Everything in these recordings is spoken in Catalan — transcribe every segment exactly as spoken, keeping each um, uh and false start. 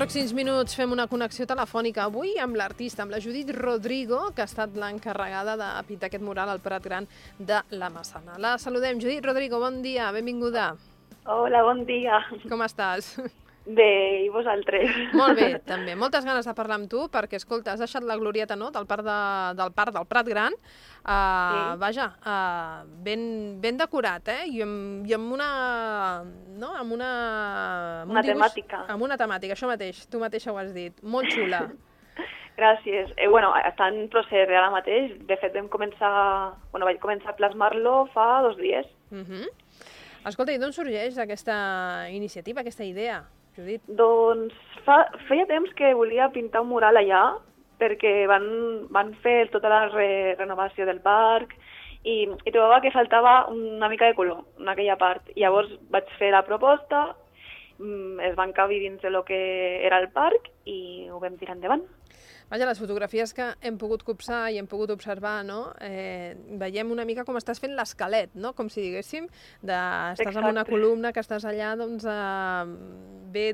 pròxims minuts fem una connexió telefònica avui amb l'artista, amb la Judit Rodrigo, que ha estat l'encarregada de pintar aquest mural al Prat Gran de la Massana. La saludem. Judit Rodrigo, bon dia, benvinguda. Hola, bon dia. Com estàs? Bé, i vosaltres? Molt bé, també. Moltes ganes de parlar amb tu, perquè, escolta, has deixat la glorieta, no?, del parc, de, del, parc del Prat Gran. Uh, sí. Vaja, uh, ben, ben decorat, eh? I amb, i amb una... No? Amb una... Amb una un dibuix, temàtica. Amb una temàtica, això mateix. Tu mateixa ho has dit. Molt xula. Gràcies. Eh, bueno, està en procés ara mateix. De fet, vam començar... Bueno, vaig començar a plasmar-lo fa dos dies. Uh -huh. Escolta, i d'on sorgeix aquesta iniciativa, aquesta idea, Judit? Doncs fa, feia temps que volia pintar un mural allà, perquè van, van fer tota la re, renovació del parc i, i trobava que faltava una mica de color en aquella part. I llavors vaig fer la proposta, es van cabir dins de lo que era el parc i ho vam tirar endavant. Vaja, les fotografies que hem pogut copsar i hem pogut observar, no? Eh, veiem una mica com estàs fent l'esquelet, no? Com si diguéssim, de, estàs en una columna que estàs allà, doncs, eh, bé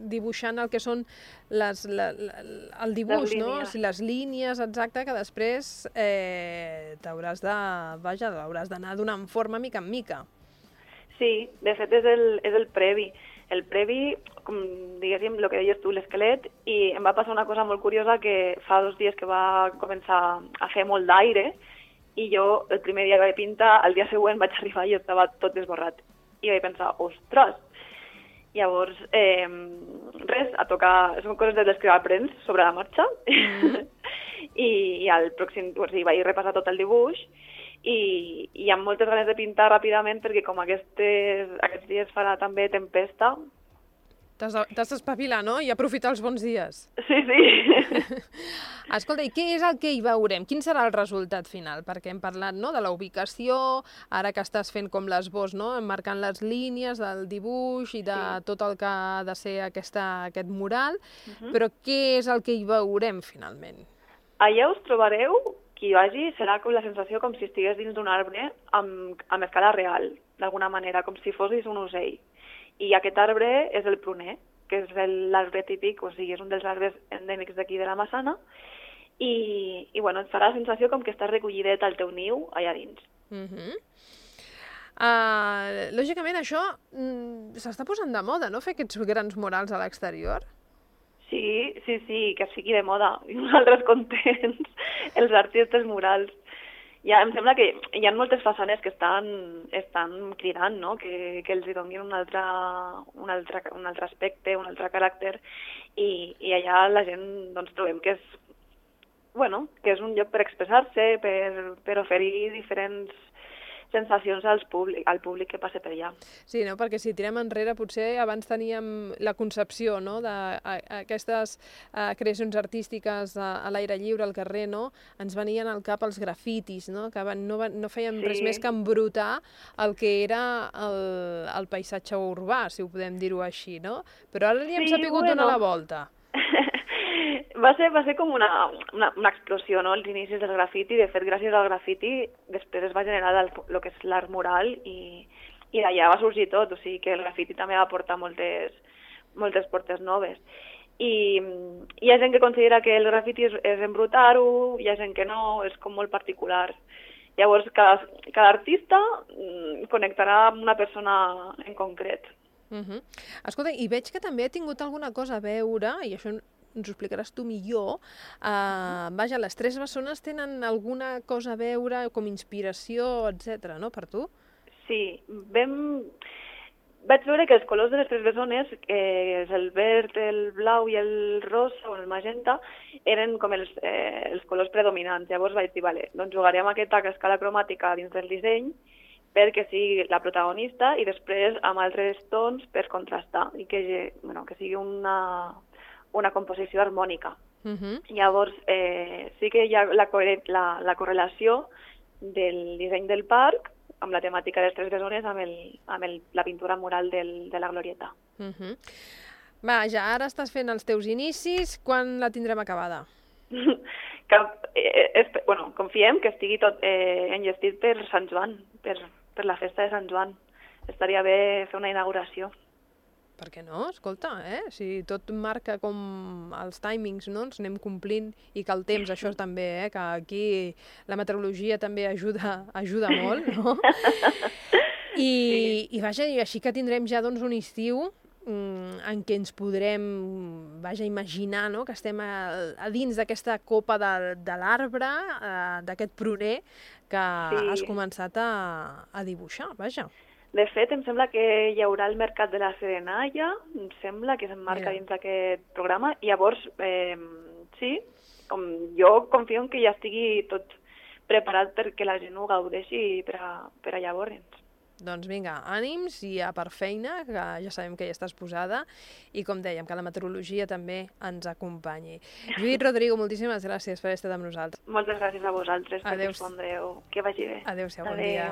dibuixant el que són les, la, la, el dibuix, les no? O sigui, les línies, exacte, que després eh, t'hauràs de, vaja, hauràs d'anar donant forma mica en mica. Sí, de fet és el, és el previ. El previ, com diguéssim, el que deies tu, l'esquelet, i em va passar una cosa molt curiosa que fa dos dies que va començar a fer molt d'aire i jo el primer dia que vaig pintar, el dia següent vaig arribar i estava tot esborrat. I vaig pensar, ostres! Llavors, eh, res, a tocar, són coses de les que aprens sobre la marxa. Mm. I, i al pròxim, o sigui, vaig repassar tot el dibuix i, i amb moltes ganes de pintar ràpidament perquè com aquestes, aquests dies farà també tempesta. T'has d'espavilar, no? I aprofitar els bons dies. Sí, sí. Escolta, i què és el que hi veurem? Quin serà el resultat final? Perquè hem parlat, no?, de la ubicació, ara que estàs fent com l'esbós, no?, emmarcant les línies del dibuix i de sí. tot el que ha de ser aquesta, aquest mural, uh-huh. però què és el que hi veurem finalment? Allà us trobareu, qui hi vagi, serà com la sensació com si estigués dins d'un arbre amb, amb escala real, d'alguna manera, com si fossis un ocell. I aquest arbre és el pruner, que és l'arbre típic, o sigui, és un dels arbres endèmics d'aquí de la Massana, i, i bueno, et farà la sensació com que estàs recollidet al teu niu allà dins. Uh-huh. uh, lògicament, això mm, s'està posant de moda, no?, fer aquests grans murals a l'exterior? Sí, sí, sí, que sigui de moda. I nosaltres contents, els artistes murals. Ja, em sembla que hi ha moltes façanes que estan, estan cridant, no?, que, que els donin un altre, un, altre, un altre aspecte, un altre caràcter, i, i allà la gent doncs, trobem que és, bueno, que és un lloc per expressar-se, per, per oferir diferents sensacions als públic, al públic que passa per allà. Sí, no? Perquè si tirem enrere, potser abans teníem la concepció, no?, d'aquestes uh, creacions artístiques a, a l'aire lliure, al carrer, no?, ens venien al cap els grafitis, no?, que van, no, van, no feien sí. res més que embrutar el que era el, el paisatge urbà, si ho podem dir-ho així, no? Però ara li hem sí, sapigut bueno. donar la volta. Va ser, va ser com una, una, una explosió, no?, els inicis del grafiti. De fet, gràcies al grafiti, després es va generar el, el que és l'art mural i, i d'allà va sorgir tot. O sigui que el grafiti també va portar moltes, moltes portes noves. I hi ha gent que considera que el grafiti és, és embrutar-ho, hi ha gent que no, és com molt particular. Llavors, cada, cada artista connectarà amb una persona en concret. Uh-huh. Escolta, i veig que també ha tingut alguna cosa a veure, i això ens ho explicaràs tu millor, uh, vaja, les tres bessones tenen alguna cosa a veure, com inspiració, etcètera, no, per tu? Sí, vam... vaig veure que els colors de les tres bessones, que és el verd, el blau i el rosa o el magenta, eren com els, eh, els colors predominants. Llavors vaig dir, vale, doncs jugaré amb aquesta escala cromàtica dins del disseny perquè sigui la protagonista i després amb altres tons per contrastar i que, bueno, que sigui una... una composició harmònica. Uh-huh. Llavors, eh, sí que hi ha la, la, la correlació del disseny del parc amb la temàtica de les tres bessones amb, el, amb el, la pintura mural del, de la glorieta. Uh-huh. Vaja, ara estàs fent els teus inicis. Quan la tindrem acabada? que, eh, es, bueno, confiem que estigui tot eh, enllestit per Sant Joan, per, per la festa de Sant Joan. Estaria bé fer una inauguració. Per què no? Escolta, eh? Si tot marca com els timings, no? Ens anem complint i que el temps, això també, eh? Que aquí la meteorologia també ajuda, ajuda molt, no? I, sí. i vaja, i així que tindrem ja doncs, un estiu en què ens podrem, vaja, imaginar, no? Que estem a, a dins d'aquesta copa de, de l'arbre, d'aquest pruner que sí. has començat a, a dibuixar, vaja. De fet, em sembla que hi haurà el mercat de la Serenalla, em sembla que s'emmarca dins d'aquest programa, i llavors, eh, sí, com jo confio en que ja estigui tot preparat perquè la gent ho gaudeixi per a, per a llavors. Doncs vinga, ànims i a per feina, que ja sabem que hi estàs posada, i com dèiem, que la meteorologia també ens acompanyi. Judit Rodrigo, moltíssimes gràcies per haver estat amb nosaltres. Moltes gràcies a vosaltres per respondreu. Que vagi bé. Adéu-siau, bon dia.